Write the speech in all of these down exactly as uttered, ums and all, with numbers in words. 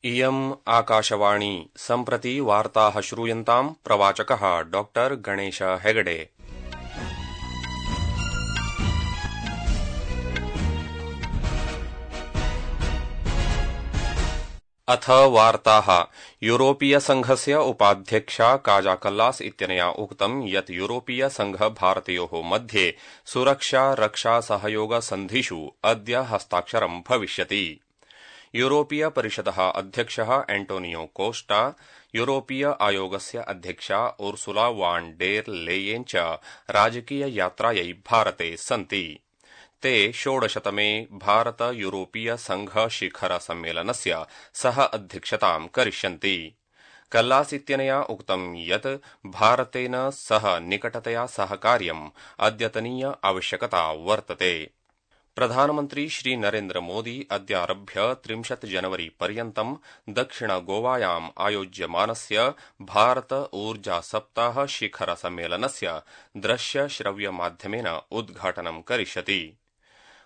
इयम् आकाशवाणी सम्प्रति वार्ताः श्रूयन्ताम् प्रवाचकः डॉक्टर गणेश हेगडे। अथ वार्ताः। यूरोपीय संघस्य उपाध्यक्षा काजा कल्लास इत्यनया उक्तं यत् यूरोपीय संघ भारतयोः मध्ये सुरक्षा रक्षा सहयोग सन्धिषु अद्य हस्ताक्षरं भविष्यति। यूरोपीय परिषदः अध्यक्षः एंटोनियो कोस्टा, यूरोपीय आयोगस्य अध्यक्षा उर्सुला वान डेर लेयेन च राजकीय यात्रायै भारते सन्ति। ते षोडशतमे भारत यूरोपीय संघ शिखर सम्मेलनस्य सह अध्यक्षतां करिष्यन्ति। कल्लास इत्यनया उक्तं यत् भारतेन सह निकटतया सहकार्यम् अद्यतनीय आवश्यकता वर्तते। प्रधानमन्त्री श्री नरेन्द्र मोदी अद्यारभ्य त्रिंशत् जनवरी पर्यन्तं दक्षिण गोवायाम् आयोज्यमानस्य भारत ऊर्जा सप्ताह शिखर सम्मेलनस्य दृश्य श्रव्य माध्यमेन उद्घाटनं करिष्यति।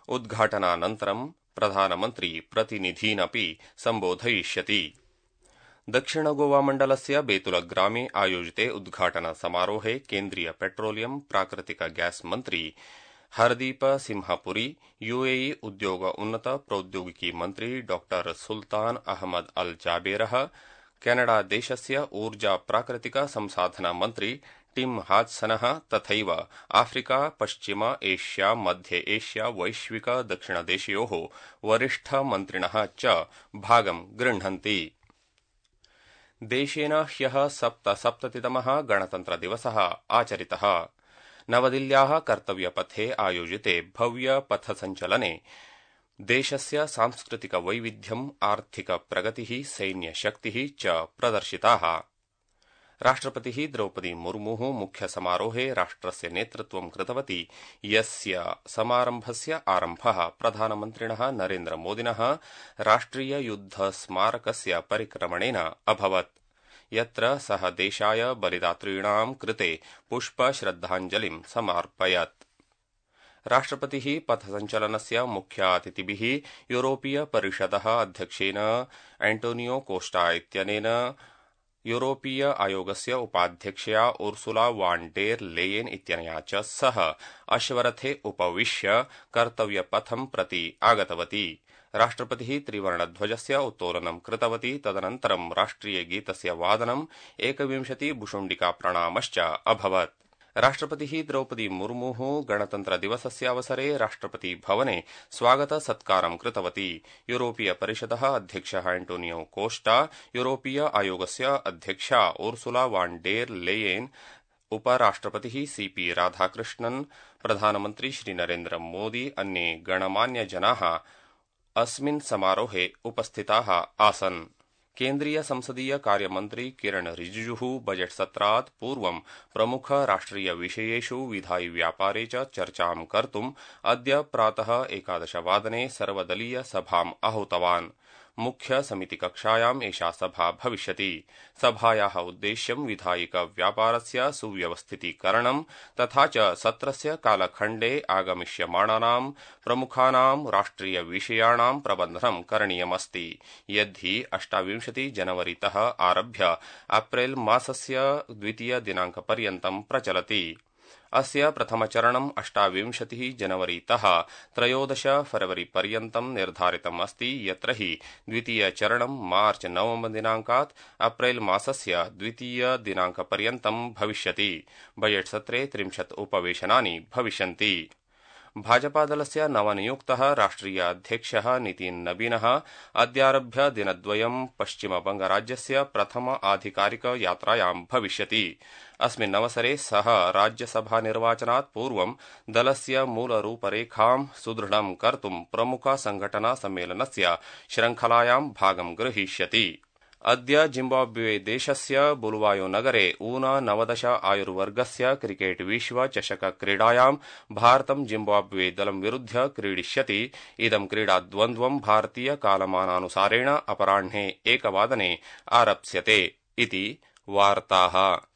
उद्घाटनानन्तरं प्रधानमन्त्री प्रतिनिधीनपि सम्बोधयिष्यति। दक्षिण गोवा मण्डलस्य बेतुलग्रामे आयोजिते उद्घाटन समारोहे केन्द्रीय पेट्रोलियम प्राकृतिक गैस मन्त्री हरदीप सिंहपुरी, यूएई उद्योग उन्नत प्रौद्योगिकी मन्त्री डॉक्टर सुल्तान अहमद अल जाबेरः, कैनडा देशस्य ऊर्जा प्राकृतिक संसाधन मन्त्री टिम हाड्सनः तथैव आफ्रिका पश्चिम एशिया मध्य एशिया वैश्विक दक्षिणदेशयोः वरिष्ठ मन्त्रिणः च भागं गृह्णन्ति। देशेन ह्यः सप्तसप्ततितमः गणतन्त्रदिवसः आचरितः। नवदिल्ल्याः कर्तव्यपथे आयोजिते भव्य पथसञ्चलने देशस्य सांस्कृतिक वैविध्यम्, आर्थिक प्रगतिः, सैन्यशक्तिः च प्रदर्शिताः। राष्ट्रपतिः द्रौपदी मुर्मुः मुख्य समारोहे राष्ट्रस्य नेतृत्वं कृतवती, यस्य समारम्भस्य आरम्भः प्रधानमन्त्रिणः नरेन्द्र मोदिनः राष्ट्रिय युद्ध स्मारकस्य परिक्रमणेन अभवत्, यत्र सः देशाय बलिदातॄणां कृते पुष्पश्रद्धाञ्जलिं समार्पयत्। राष्ट्रपतिः पथसञ्चलनस्य मुख्यातिथिभिः यूरोपीय परिषदः अध्यक्षेन एंटोनियो कोस्टा इत्यनेन, यूरोपीय आयोगस्य उपाध्यक्षया उर्सुला वान डेर लेयेन इत्यनया च सह अश्वरथे उपविश्य कर्तव्यपथं प्रति आगतवती। राष्ट्रपतिः त्रिवर्णध्वजस्य उत्तोलनं कृतवती। तदनन्तरं राष्ट्रियगीतस्य वादनम्, एकविंशति भुशुण्डिका प्रणामश्च अभवत्। राष्ट्रपतिः द्रौपदी मुर्मुः गणतन्त्रदिवसस्य अवसरे राष्ट्रपति भवने स्वागत सत्कारं कृतवती। यूरोपीय परिषदः अध्यक्षः एंटोनियो कोस्टा, यूरोपीय आयोगस्य अध्यक्षा उर्सुला वान डेर लेयेन, उपराष्ट्रपतिः सीपी राधाकृष्णन्, प्रधानमन्त्री श्री नरेन्द्र मोदी, अन्ये गणमान्यजनाः अस्मिन् समारोहे उपस्थिताः आसन्। केन्द्रीय संसदीय कार्यमन्त्री किरण रिजिजुः बजेट सत्रात् पूर्वं प्रमुख राष्ट्रिय विषयेषु विधायि व्यापारे च चर्चां कर्तुम् अद्य प्रातः एकादशवादने सर्वदलीय सभाम् आहूतवान्। मुख्य समितिकक्षायाम् एषा सभा भविष्यति। सभायाः उद्देश्यं विधायिक व्यापारस्य सुव्यवस्थितीकरणं तथा च सत्रस्य कालखण्डे आगमिष्यमाणानां प्रमुखानां राष्ट्रिय विषयाणां प्रबन्धनं करणीयमस्ति, यद्धि अष्टाविंशति जनवरीतः आरभ्य अप्रैल मासस्य द्वितीय दिनाङ्कपर्यन्तं प्रचलति। अस्य प्रथमचरणम् अष्टाविंशतिः जनवरीतः त्रयोदश फरवरी पर्यन्तं निर्धारितम् अस्ति, यत्र हि द्वितीयचरणं मार्च नवम दिनाङ्कात् अप्रैल मासस्य द्वितीय दिनाङ्कपर्यन्तं भविष्यति। बजेट सत्रे त्रिंशत् उपवेशनानि भविष्यन्ति। भाजपादलस्य नवनियुक्तः राष्ट्रिय अध्यक्षः नितिन नबीनः अद्यारभ्य दिनद्वयं पश्चिमबंगराज्यस्य प्रथम आधिकारिक यात्रायां भविष्यति। अस्मिन् अवसरे सः राज्यसभा निर्वाचनात् पूर्वं दलस्य मूलरूपरेखां सुदृढं कर्तुं प्रमुख संघटना सम्मेलनस्य श्रृंखलायां भागं गृहीष्यति। अद्य जिम्बाब्वे देशस्य बुलवायो नगरे ऊन नवदश आयुर्वर्गस्य क्रिकेट विश्व चषक क्रीडायां भारतं जिम्बाब्वे दलं विरुध्य क्रीडिष्यति। इदं क्रीडाद्वन्द्वं भारतीय कालमानानुसारेण अपराह्ने एकवादने आरप्स्यते इति वार्ताः।